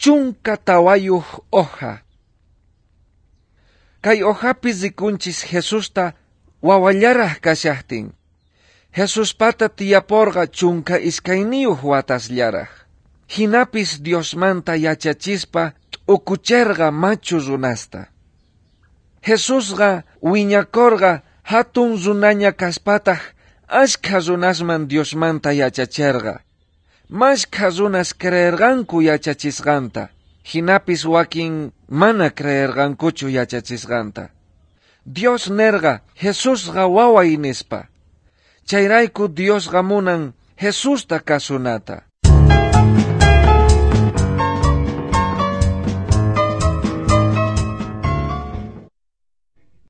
14 hoja. Kay hojapi rikunchis Jesusta wawallaraj kashajtin. Jesuspata tiyaporqa 12 watasllaraj. Jinapis Diosmanta yachachispa t'ukucherqa machu runasta. Jesusqa wiñakorqa hatun runaña kaspataj ashkha runasman Diosmanta yachacherqa. Mashkha runas creerqanku yachachisqanta. Jinapis wakin mana creerqankuchu yachachisqanta. Dios nerqa Jesusqa waway nispa. Chayrayku Diosqa munan Jesusta kasunata.